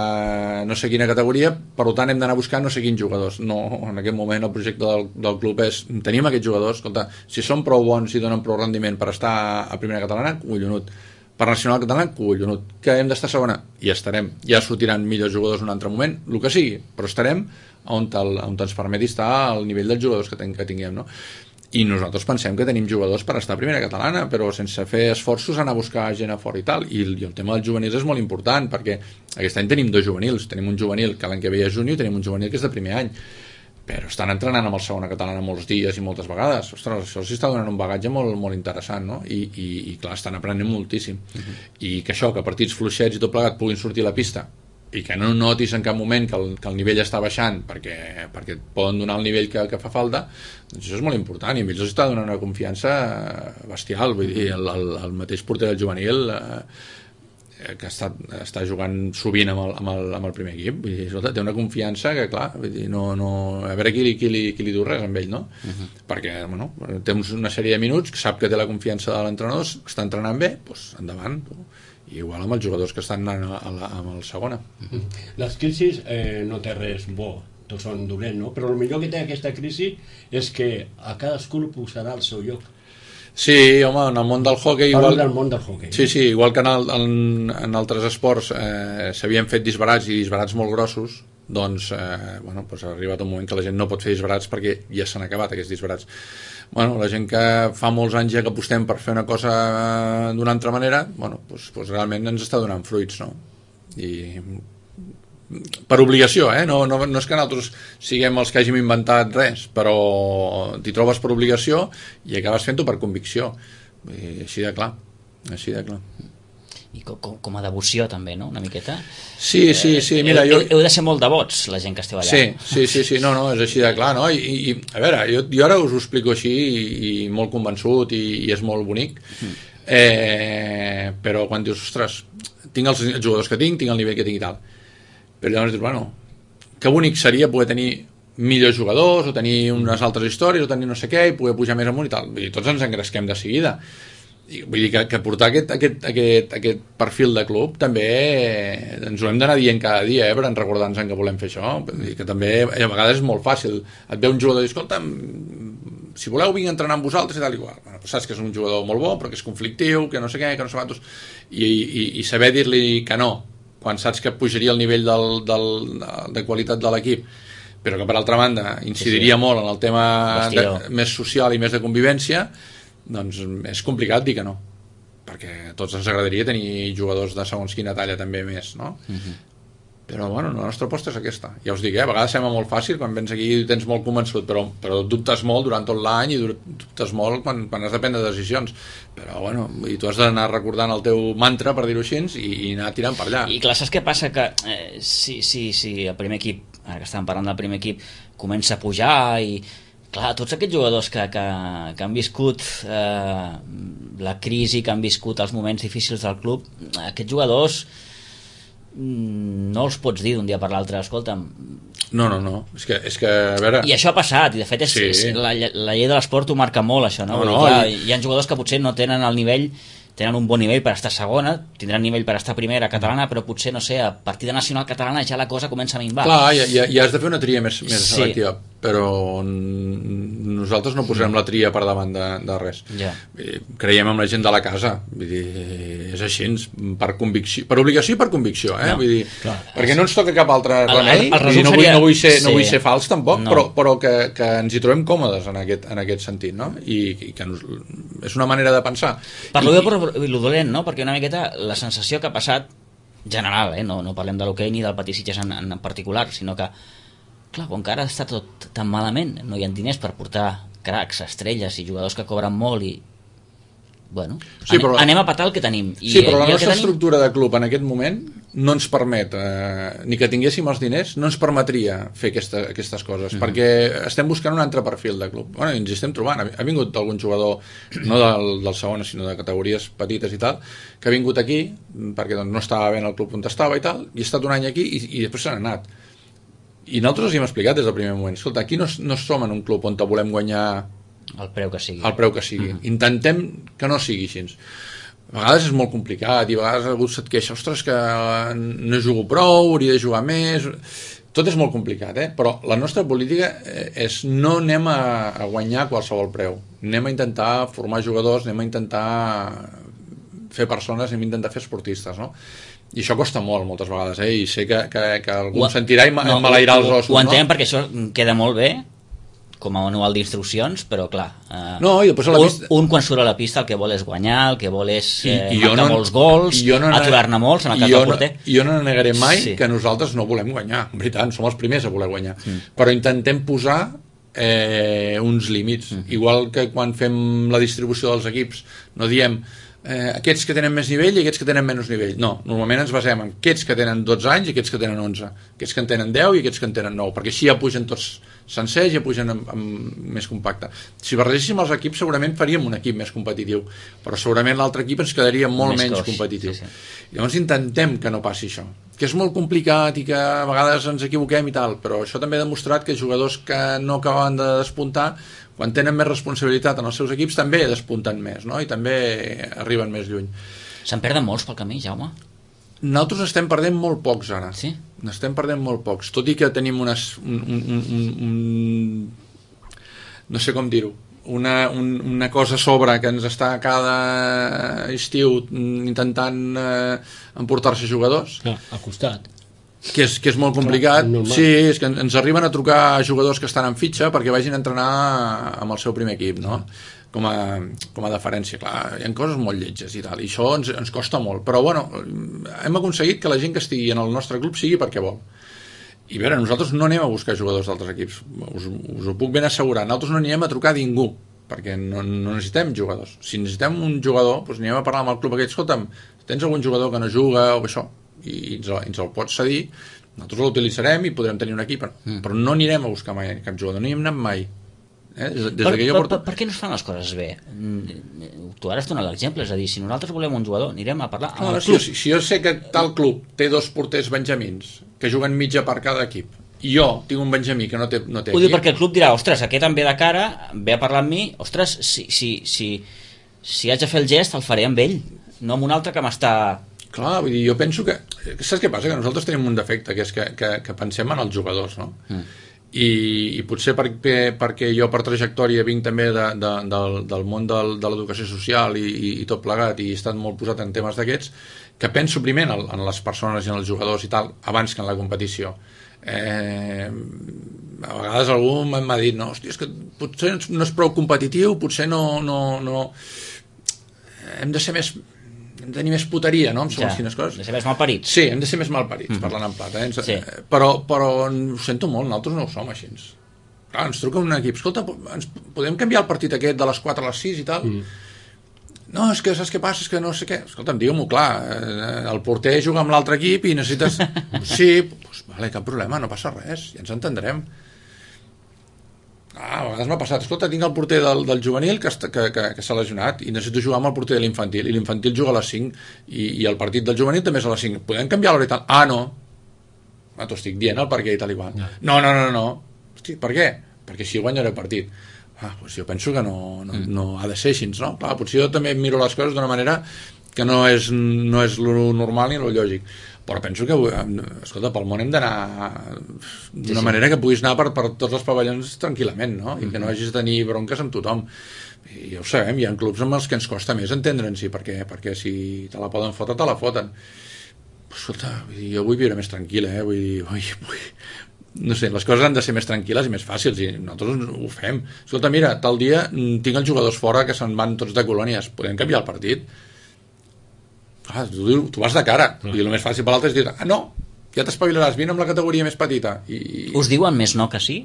no sé quina categoria, per tant hem d'anar a buscar no sé quins jugadors. No, en aquest moment el projecte del club és, tenim aquests jugadors, escolta, si són prou bons i donen prou rendiment per estar a primera catalana, collonut, per nacional catalana, collonut, que hem d'estar segona, i estarem, ja sortiran millors jugadors en un altre moment, el que sigui, però estarem on ens permeti estar al nivell dels jugadors que tinguem, no? I nosaltres pensem que tenim jugadors per estar a primera catalana, però sense fer esforços anar a buscar gent a fora i tal, i el tema dels juvenils és molt important, perquè aquest any tenim 2 juvenils, tenim un juvenil que l'any que ve és júnior i tenim un juvenil que és de primer any, però estan entrenant amb el segona catalana molts dies i moltes vegades. Ostres, això els està donant un bagatge molt, molt interessant, no? I clar, estan aprenent moltíssim, i que això, que partits fluixets i tot plegat puguin sortir a la pista i que no notis en cap moment que el nivell està baixant perquè et poden donar el nivell que fa falta, doncs això és molt important, i a ells els està donant una confiança bestial. Vull dir, el mateix porter del juvenil que està jugant sovint amb el primer equip, vull dir, escolta, té una confiança que, clar, vull dir, no, a veure qui li diu res amb ell, no? Perquè, bueno, té una sèrie de minuts, sap que té la confiança de l'entrenador, està entrenant bé, doncs endavant, i igual amb els jugadors que estan anant amb el segona. Les crisis no té res bo, tots són dolents, no? Però el millor que té aquesta crisi és que a cadascú el posarà al seu lloc. Sí, home, en el món del hoquei Sí, igual que en altres esports s'havien fet disbarats i disbarats molt grossos, doncs ha arribat un moment que la gent no pot fer disbarats perquè ja s'han acabat aquests disbarats. La gent que fa molts anys ja que apostem per fer una cosa d'una altra manera, doncs realment ens està donant fruits, no? I per obligació, no és que nosaltres siguem els que hàgim inventat res, però t'hi trobes per obligació i acabes fent-ho per convicció. Així de clar. I com a devoció també, no? Una miqueta. Sí, mira, heu de ser molt devots, la gent que esteu allà. Sí, no, és així de clar, no? I a veure, jo ara us ho explico així i molt convençut i és molt bonic, però quan dius, ostres, tinc els jugadors que tinc el nivell que tinc i tal, però llavors dius, bueno, que bonic seria poder tenir millors jugadors o tenir unes altres històries o tenir no sé què i poder pujar més amunt i tal, i tots ens engresquem de seguida. Vull dir que portar aquest perfil de club també ens ho hem d'anar dient cada dia, per recordar-nos que volem fer això. Vull dir que també a vegades és molt fàcil, et ve un jugador i diu, escolta, si voleu vinc a entrenar amb vosaltres i tal igual. Bueno, saps que és un jugador molt bo però que és conflictiu, que no sé què, que no sé quantos, i saber dir-li que no quan saps que pujaria el nivell de qualitat de l'equip, però que per altra banda incidiria molt en el tema més social i més de convivència, doncs és complicat dir que no, perquè a tots ens agradaria tenir jugadors de segons quina talla també més, no? Però bueno, la nostra aposta és aquesta, ja us dic, a vegades sembla molt fàcil quan vens aquí i tens molt convençut, però dubtes molt durant tot l'any i dubtes molt quan has de prendre decisions, però bueno, i tu has d'anar recordant el teu mantra, per dir-ho així, i anar tirant per allà. I clar, saps què passa? Que si el primer equip, ara que estàvem parlant del primer equip, comença a pujar i clar, tots aquests jugadors que han viscut la crisi, que han viscut els moments difícils del club, aquests jugadors no els pots dir d'un dia per l'altre, escolta'm. No, és que a veure... I això ha passat, i de fet la llei de l'esport ho marca molt, això, no? Clar, hi ha jugadors que potser no tenen el nivell, tenen un bon nivell per estar segona, tindran nivell per estar primera catalana, però potser, no sé, a partir de nacional catalana ja la cosa comença a minvar. Clar, ja has de fer una tria més selectiva, però nosaltres no posarem la tria per davant de res. Creiem en la gent de la casa, vull dir, és així, per convicció, per obligació i per convicció, vull dir, perquè no ens toca cap altre remei, no vull ser fals tampoc, però que ens hi trobem còmodes en aquest sentit, no? I que és una manera de pensar. Per lo bé però lo dolent, no? Perquè una miqueta la sensació que ha passat general, no parlem de l'hoquei ni del Patí Sitges en particular, sinó que clar, com que ara està tot tan malament, no hi ha diners per portar cracs, estrelles i jugadors que cobren molt i bueno, anem a patar el que tenim. Però la nostra estructura de club en aquest moment no ens permet, ni que tinguéssim els diners, no ens permetria fer aquestes coses, perquè estem buscant un altre perfil de club. Bueno, ens hi estem trobant. Ha vingut algun jugador, no del segon, sinó de categories petites i tal, que ha vingut aquí, perquè doncs, no estava bé en el club on estava i tal, i ha estat un any aquí i després s'han anat. I nosaltres els hem explicat des del primer moment, escolta, aquí no som en un club on volem guanyar el preu que sigui. Intentem que no sigui així. A vegades és molt complicat i a vegades algú se't queixa, ostres, que no jugo prou, hauria de jugar més. Tot és molt complicat, però la nostra política és no anem a guanyar a qualsevol preu, anem a intentar formar jugadors, anem a intentar fer persones, anem a intentar fer esportistes, no? I això costa molt, moltes vegades, i sé que algú em sentirà i m'alairà els ossos. Ho entenem, perquè això queda molt bé com a manual d'instruccions, però clar, i després a la pista... un quan surt a la pista el que vol és guanyar, el que vol és marcar molts gols, aturar-ne molts en el cas del porter. Jo no negaré mai que nosaltres no volem guanyar, en veritat, som els primers a voler guanyar, però intentem posar uns límits, igual que quan fem la distribució dels equips no diem aquests que tenen més nivell i aquests que tenen menys nivell. No, normalment ens basem en aquests que tenen 12 anys i aquests que tenen 11, aquests que en tenen 10 i aquests que en tenen 9, perquè així ja pugen tots sencers, ja pugen més compacte. Si barregéssim els equips segurament faríem un equip més competitiu, però segurament l'altre equip ens quedaria molt menys competitiu. Llavors intentem que no passi això, que és molt complicat i que a vegades ens equivoquem i tal, però això també ha demostrat que jugadors que no acaben de despuntar, quan tenen més responsabilitat en els seus equips també despunten més, no? I també arriben més lluny. Se'n perden molts pel camí, Jaume? Nosaltres estem perdent molt pocs ara. Sí? N'estem perdent molt pocs, tot i que tenim no sé com dir-ho, una cosa a sobre que ens està cada estiu intentant emportar-se jugadors. Al costat. Que és molt complicat. Sí, és que ens arriben a trucar jugadors que estan en fitxa perquè vagin a entrenar amb el seu primer equip, no? com a deferència. Clar, hi ha coses molt lletges i tal, i això ens costa molt, però bueno, hem aconseguit que la gent que estigui en el nostre club sigui perquè vol. I a veure, nosaltres no anem a buscar jugadors d'altres equips, us ho puc ben assegurar, nosaltres no anirem a trucar a ningú, perquè no necessitem jugadors. Si necessitem un jugador, doncs anirem a parlar amb el club aquest, escolta'm, tens algun jugador que no juga o això, i ens el pots cedir, nosaltres l'utilitzarem i podrem tenir un equip, però no anirem a buscar mai cap jugador, no hi hem anat mai. Per què no es fan les coses bé? Tu ara has donat l'exemple, és a dir, si nosaltres volem un jugador anirem a parlar amb el club. Si jo sé que tal club té 2 porters benjamins que juguen mitja per cada equip i jo tinc un benjamí que no té ho dic perquè el club dirà, ostres, aquest em ve de cara, ve a parlar amb mi, ostres, si haig de fer el gest el faré amb ell, no amb un altre que m'està... Clar, vull dir, jo penso que... Saps què passa? Que nosaltres tenim un defecte, que és que pensem en els jugadors, no? I potser perquè jo per trajectòria vinc també del món de l'educació social i tot plegat, i he estat molt posat en temes d'aquests, que penso primer en les persones i en els jugadors i tal, abans que en la competició. A vegades algú m'ha dit, no, hòstia, és que potser no és prou competitiu, potser no hem de ser més... hem de tenir més puteria, no? Hem de ser més malparits. Sí, hem de ser més malparits, parlant en plata. Sí. Però ho sento molt, nosaltres no ho som així. Clar, ens truca un equip, escolta, podem canviar el partit aquest de les 4 a les 6 i tal? No, és que saps què passa? És que no sé què. Escolta'm, digue-m'ho clar, el porter juga amb l'altre equip i necessites... Sí, doncs vale, cap problema, no passa res, ja ens entendrem. A vegades m'ha passat, escolta, tinc el porter del juvenil que s'ha lesionat i necessito jugar amb el porter de l'infantil, i l'infantil juga a les 5 i el partit del juvenil també és a les 5, podem canviar l'hora i tal? No, t'ho estic dient el perquè i tal i qual. No. Hosti, per què? Perquè així guanyaré el partit. Doncs jo penso que no ha de ser així, no? Clar, potser jo també miro les coses d'una manera que no és lo normal ni lo lògic, però penso que, escolta, pel món hem d'anar d'una manera que puguis anar per tots els pavellons tranquil·lament, no? I que no hagis de tenir bronques amb tothom. I ja ho sabem, hi ha clubs amb els que ens costa més entendre'ns, perquè si te la poden fotre, te la foten. Escolta, jo vull viure més tranquil, vull dir, no sé, les coses han de ser més tranquil·les i més fàcils, i nosaltres ho fem. Escolta, mira, tal dia tinc els jugadors fora que se'n van tots de colònies, podem canviar el partit? Tu vas de cara, i el més fàcil per l'altre és dir, no, ja t'espavilaràs, vine amb la categoria més petita. Us diuen més no que sí?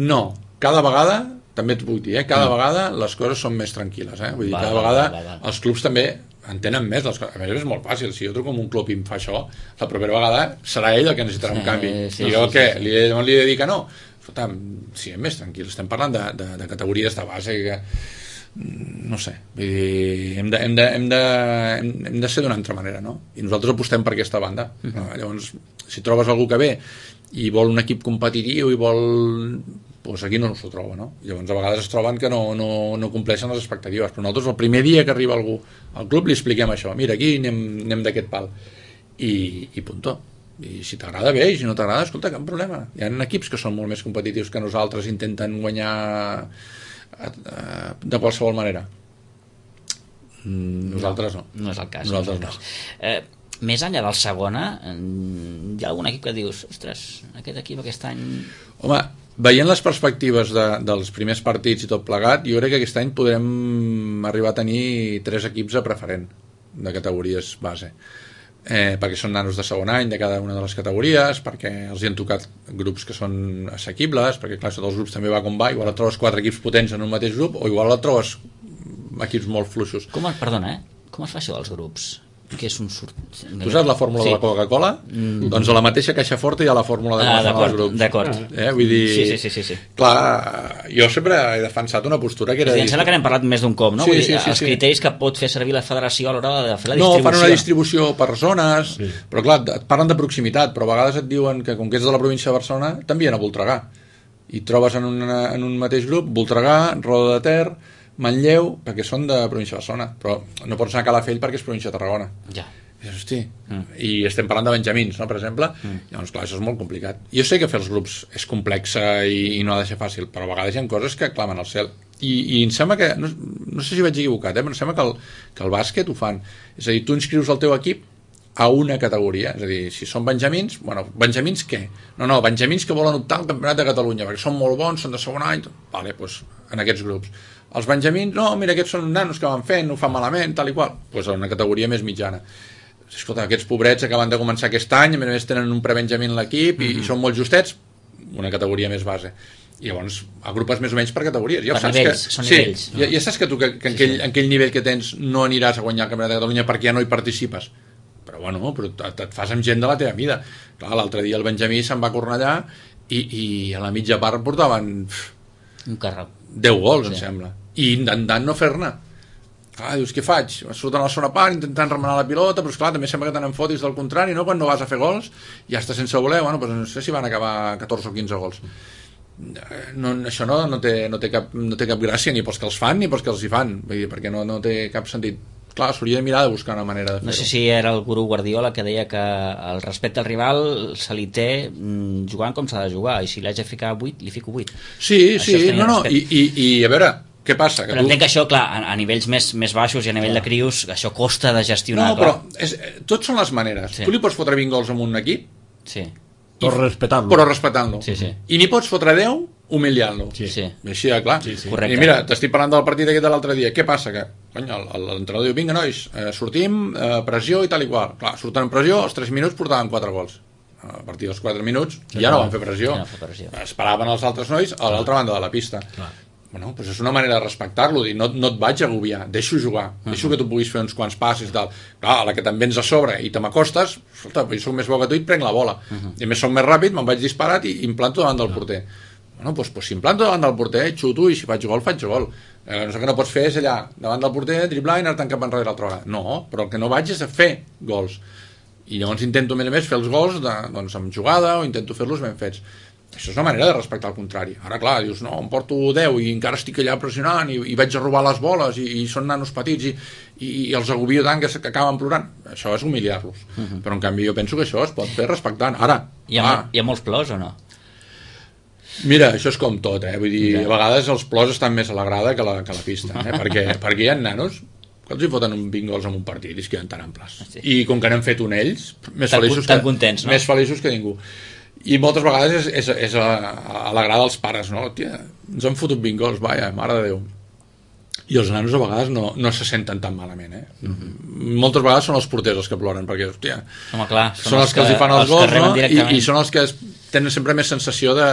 No, cada vegada, també t'ho puc dir, cada vegada les coses són més tranquil·les, vull dir, cada vegada els clubs també entenen més les coses. A més és molt fàcil, si jo truco amb un club i em fa això, la propera vegada serà ell el que necessitarà un canvi, i jo què? Li he de dir que no? Escolta, siguem més tranquils, estem parlant de categories de base que no sé, vull dir, hem de ser d'una altra manera, no? I nosaltres apostem per aquesta banda. Llavors, si trobes algú que ve i vol un equip competitiu i vol... doncs aquí no s'ho troba, no? Llavors a vegades es troben que no compleixen les expectatives, però nosaltres el primer dia que arriba algú al club li expliquem això, mira, aquí anem d'aquest pal i punto. I si t'agrada bé, i si no t'agrada, escolta, cap problema. Hi ha equips que són molt més competitius que nosaltres, intenten guanyar de qualsevol manera. Nosaltres no. No és el cas. Nosaltres no. Més enllà del segona, hi ha algun equip que dius, ostres, aquest equip aquest any... Home, veient les perspectives dels primers partits i tot plegat, jo crec que aquest any podrem arribar a tenir 3 equips a preferent de categories base. Perquè són nanos de segon any de cada una de les categories, perquè els hi han tocat grups que són assequibles, perquè clar, sota els grups també va com va, igual et trobes 4 equips potents en un mateix grup o igual et trobes equips molt fluixos. Com es fa això dels grups? Que és un Tu saps la fórmula de la Coca-Cola? Doncs a la mateixa caixa forta hi ha la fórmula de com es fan els grups. D'acord. Vull dir... Sí. Clar, jo sempre he defensat una postura que era... Em sembla que n'hem parlat més d'un cop, no? Sí. Els criteris que pot fer servir la federació a l'hora de fer la distribució. No, fan una distribució per zones, però clar, et parlen de proximitat, però a vegades et diuen que com que ets de la província de Barcelona, t'envien a Voltregà. I trobes en un mateix grup Voltregà, Roda de Ter, Manlleu, perquè són de província de Barcelona, però no pots anar a Calafell perquè és província de Tarragona. Ja. Hosti. I estem parlant de benjamins, no, per exemple. Llavors, clar, això és molt complicat. Jo sé que fer els grups és complex i no ha de ser fàcil, però a vegades hi ha coses que clamen al cel. I em sembla que, no sé si vaig equivocat, però em sembla que el bàsquet ho fan. És a dir, tu inscrius el teu equip a una categoria, és a dir, si són benjamins, bueno, benjamins què? No, benjamins que volen optar al Campionat de Catalunya, perquè són molt bons, són de segon any, vale, doncs en aquests grups. Els benjamins, no, mira, aquests són nanos que van fent, ho fan malament, tal i qual. Doncs una categoria més mitjana. Escolta, aquests pobrets acaben de començar aquest any, a més tenen un prebenjamí en l'equip i són molt justets, una categoria més base. I llavors agrupes més o menys per categories. Ja per nivells, són nivells. No? Ja saps que tu que en aquell nivell que tens no aniràs a guanyar el Campionat de Catalunya perquè ja no hi participes. Però bueno, et fas amb gent de la teva mida. Clar, l'altre dia el Benjamí se'n va a Cornellà i a la mitja part portaven un carro. 10 gols, em sembla. I intentant no fer-ne. Clar, dius, què faig? Surten a la segona part intentant remenar la pilota, però esclar, també sembla que tenen fotis del contrari, no? Quan no vas a fer gols ja està sense voler, bueno, doncs no sé si van acabar 14 o 15 gols. No, això no té cap gràcia ni pels que els fan ni pels que els hi fan, vull dir, perquè no té cap sentit. Clar, s'hauria de mirar de buscar una manera de fer-ho. No sé si era el gurú Guardiola que deia que el respecte al rival se li té jugant com s'ha de jugar, i si l'haig de ficar 8, li fico 8. Sí, no, i a veure, què passa? Però entenc que això, clar, a nivells més baixos i a nivell de crios, això costa de gestionar. No, però tots són les maneres. Tu li pots fotre 20 gols amb un equip, però respectant-lo. I n'hi pots fotre 10 humiliant-lo. Així de clar. Correcte. I mira, t'estic parlant del partit aquest de l'altre dia. Què passa? Que l'entrenador diu, vinga nois, sortim, pressió i tal i qual. Clar, surten en pressió, als 3 minuts portaven 4 gols. A partir dels 4 minuts ja no van fer pressió. Esperaven els altres nois a l'altra banda de la pista. Bueno, doncs és una manera de respectar-lo, dir, no et vaig agobiar, deixo jugar, deixo que tu puguis fer uns quants passes i tal. Clar, a la que te'n vens a sobre i te m'acostes, escolta, jo soc més bo que tu i et prenc la bola. I a més soc més ràpid, me'n vaig disparat i implanto davant del porter. Bueno, doncs si implanto davant del porter, xuto, i si faig gol, faig gol. No sé que no pots fer és allà, davant del porter, driblar i anar-te'n cap enrere l'altra vegada. No, però el que no vaig és a fer gols. I llavors intento a més fer els gols doncs, amb jugada o intento fer-los ben fets. Això és una manera de respectar el contrari. Ara, clar, dius, no, em porto 10 i encara estic allà pressionant i vaig a robar les boles i són nanos petits i els agobio tant que acaben plorant. Això és humiliar-los. Però, en canvi, jo penso que això es pot fer respectant. Ara, hi ha molts plors o no? Mira, això és com tot, vull dir, a vegades els plors estan més a la grada que a la pista, perquè hi ha nanos que els hi foten 20 gols en un partit i es queden tan amples. I com que n'han fet un ells, més feliços que ningú. I moltes vegades és a la grada dels pares, no? Tia, ens han fotut 20 gols, vaja, mare de Déu. I els nanos a vegades no se senten tan malament, Moltes vegades són els porters els que ploren, perquè, hòstia, són els que els hi fan els gols, no? I són els que tenen sempre més sensació de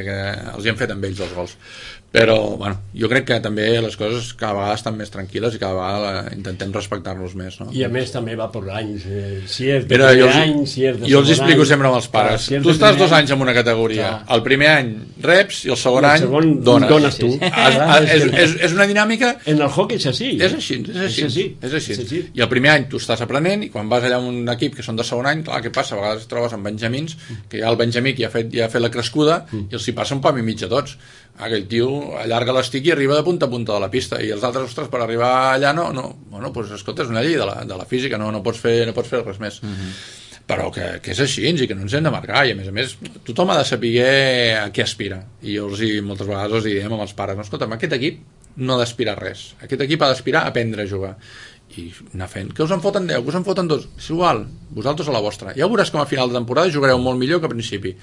que els hi han fet amb ells els gols. Però, bueno, jo crec que també les coses cada vegada estan més tranquil·les i cada vegada intentem respectar-nos més, no? I a més també va per anys. Si és de primer any, si és de segon any... Jo els explico sempre amb els pares. Tu estàs 2 anys en una categoria. El primer any reps i el segon any dones tu. És una dinàmica... En el hockey és així. És així. I el primer any tu estàs aprenent i quan vas allà a un equip que són de segon any, clar, què passa? A vegades et trobes amb benjamins, que hi ha el benjamí que ja ha fet la crescuda i els hi passa un pam i mig a tots. Aquell tio allarga l'estic i arriba de punta a punta de la pista i els altres, ostres, per arribar allà bueno, doncs escolta, és una llei de la física, no pots fer res més. Però que és així i que no ens hem de marcar, i a més tothom ha de saber a què aspira, i jo moltes vegades els diem amb els pares, no, escolta, aquest equip no ha d'aspirar a res, aquest equip ha d'aspirar a aprendre a jugar i anar fent, que us en foten 10, que us en foten 2, és igual, vosaltres a la vostra, ja veuràs com a final de temporada jugareu molt millor que a principi.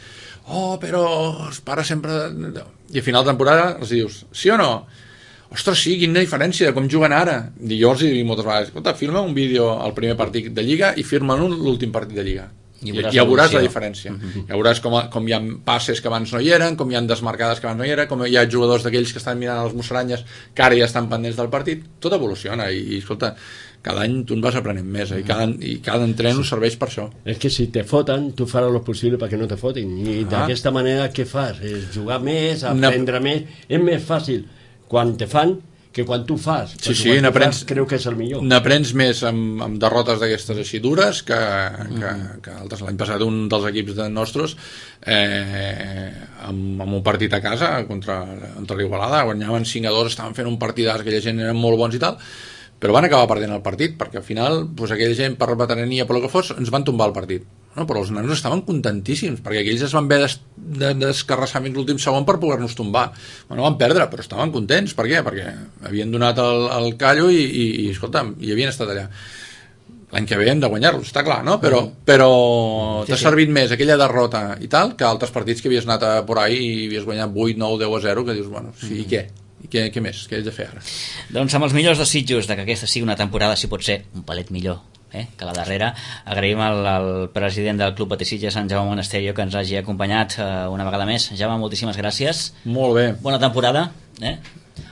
Però els pares sempre... I a final de temporada els dius, sí o no? Ostres, sí, quina diferència de com juguen ara. I jo els dic moltes vegades, escolta, filma un vídeo al primer partit de Lliga i firma l'últim partit de Lliga. I ja veuràs la diferència. Ja veuràs com hi ha passes que abans no hi eren, com hi ha desmarcades que abans no hi eren, com hi ha jugadors d'aquells que estan mirant els mussaranyes que ara ja estan pendents del partit. Tot evoluciona i escolta, cada any tu en vas aprenent més i cada entrenament us serveix per això. És que si te foten, tu faràs el possible perquè no te fotin, i d'aquesta manera què fas? És jugar més, aprendre més. És més fàcil quan te fan que quan tu fas. Sí, creu que és el millor. N'aprens més amb derrotes d'aquestes així dures que altres. L'any passat un dels equips nostres amb un partit a casa contra l'Igualada, guanyaven 5-2, estaven fent un partidàs, aquella gent eren molt bons i tal, però van acabar perdent el partit perquè al final aquella gent per veterania, per el que fos, ens van tombar el partit. Però els nanos estaven contentíssims perquè aquells es van haver d'escarrassar fins l'últim segon per poder-nos tombar. Van perdre, però estaven contents. Per què? Perquè havien donat el callo i escolta'm, hi havien estat allà. L'any que ve hem de guanyar-los, està clar, no? Però t'ha servit més aquella derrota i tal que altres partits que havies anat por ahí i havies guanyat 8, 9, 10-0, que dius, bueno, sí, i què? I què més? Què haig de fer ara? Doncs amb els millors desitjos de que aquesta sigui una temporada, si pot ser, un palet millor que la darrera. Agraïm al president del Club Patissitges, en Jaume Monasterio, que ens hagi acompanyat una vegada més. Jaume, moltíssimes gràcies. Molt bé. Bona temporada.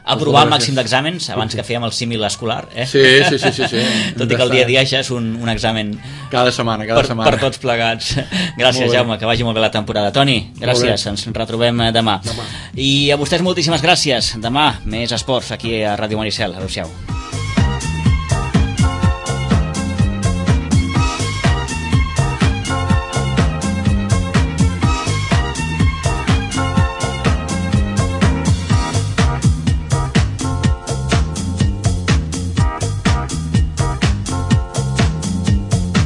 Aprovar el màxim d'exàmens abans que fèiem el símil escolar. Sí. Tot i que el dia a dia ja és un examen cada setmana. Per tots plegats. Gràcies, Jaume, que vagi molt bé la temporada. Toni, gràcies, ens retrobem demà. I a vostès moltíssimes gràcies. Demà més esports aquí a Ràdio Maricel. Adéu-siau.